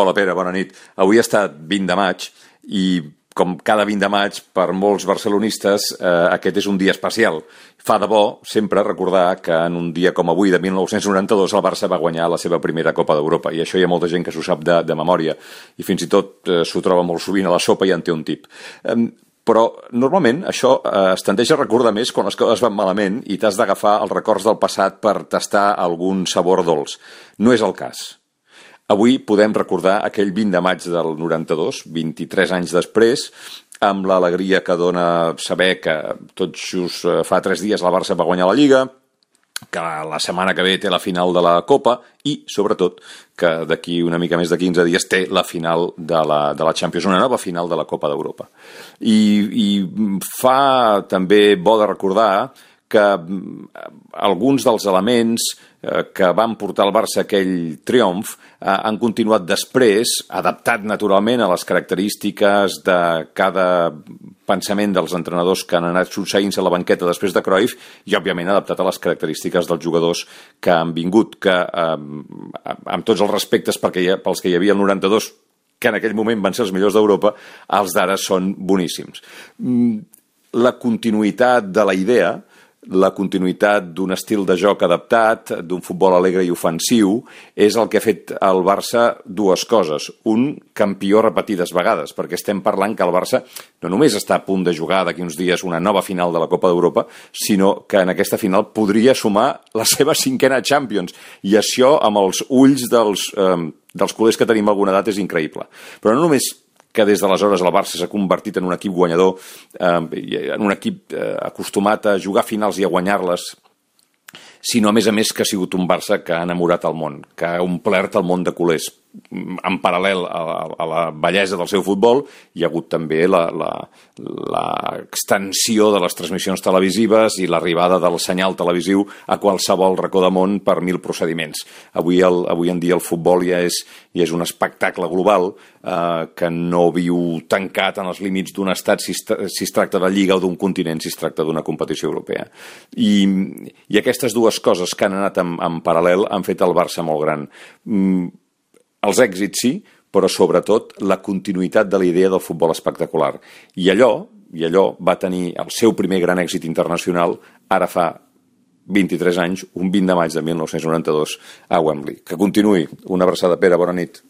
Hola Pere, bona nit. Avui ha estat 20 de maig i com cada 20 de maig per molts barcelonistes aquest és un dia especial. Fa de bo sempre recordar que en un dia com avui de 1992 el Barça va guanyar la seva primera Copa d'Europa i això hi ha molta gent que s'ho sap de memòria i fins i tot s'ho troba molt sovint a la sopa i en té un tip. Però normalment això es tendeix a recordar més quan les coses van malament i t'has d'agafar els records del passat per tastar algun sabor dolç. No és el cas. Avui podem recordar aquell 20 de maig del 92, 23 anys després, amb l'alegria que dona saber que tot just fa 3 dies el Barça va guanyar la Lliga, que la setmana que ve té la final de la Copa i, sobretot, que d'aquí una mica més de 15 dies té la final de la Champions, una nova final de la Copa d'Europa. I fa també bo de recordar que alguns dels elements que van portar el Barça aquell triomf han continuat després, adaptat naturalment a les característiques de cada pensament dels entrenadors que han anat succeint-se a la banqueta després de Cruyff i, òbviament, adaptat a les característiques dels jugadors que han vingut, que amb tots els respectes pels que hi havia el 92, que en aquell moment van ser els millors d'Europa, els d'ara són boníssims. La continuïtat de la idea, la continuïtat d'un estil de joc adaptat, d'un futbol alegre i ofensiu, és el que ha fet al Barça dues coses. Un, campió repetides vegades, perquè estem parlant que el Barça no només està a punt de jugar d'aquí uns dies una nova final de la Copa d'Europa, sinó que en aquesta final podria sumar la seva 5a Champions. I això, amb els ulls dels culers que tenim alguna edat, és increïble. Però no només que des d'aleshores el Barça s'ha convertit en un equip guanyador, en un equip acostumat a jugar finals i a guanyar-les, sinó, a més, que ha sigut un Barça que ha enamorat el món, que ha omplert el món de culers. En paral·lel a la bellesa del seu futbol, hi ha hagut també l'extensió de les transmissions televisives i l'arribada del senyal televisiu a qualsevol racó de món per 1000 procediments. Avui en dia el futbol ja és un espectacle global que no viu tancat en els límits d'un estat si es tracta de lliga o d'un continent si es tracta d'una competició europea. I aquestes dues coses que han anat en paral·lel han fet el Barça molt gran. Els èxits sí, però sobretot la continuïtat de la idea del futbol espectacular. I allò va tenir el seu primer gran èxit internacional ara fa 23 anys, un 20 de maig de 1992 a Wembley. Que continuï. Una abraçada, Pere, bona nit.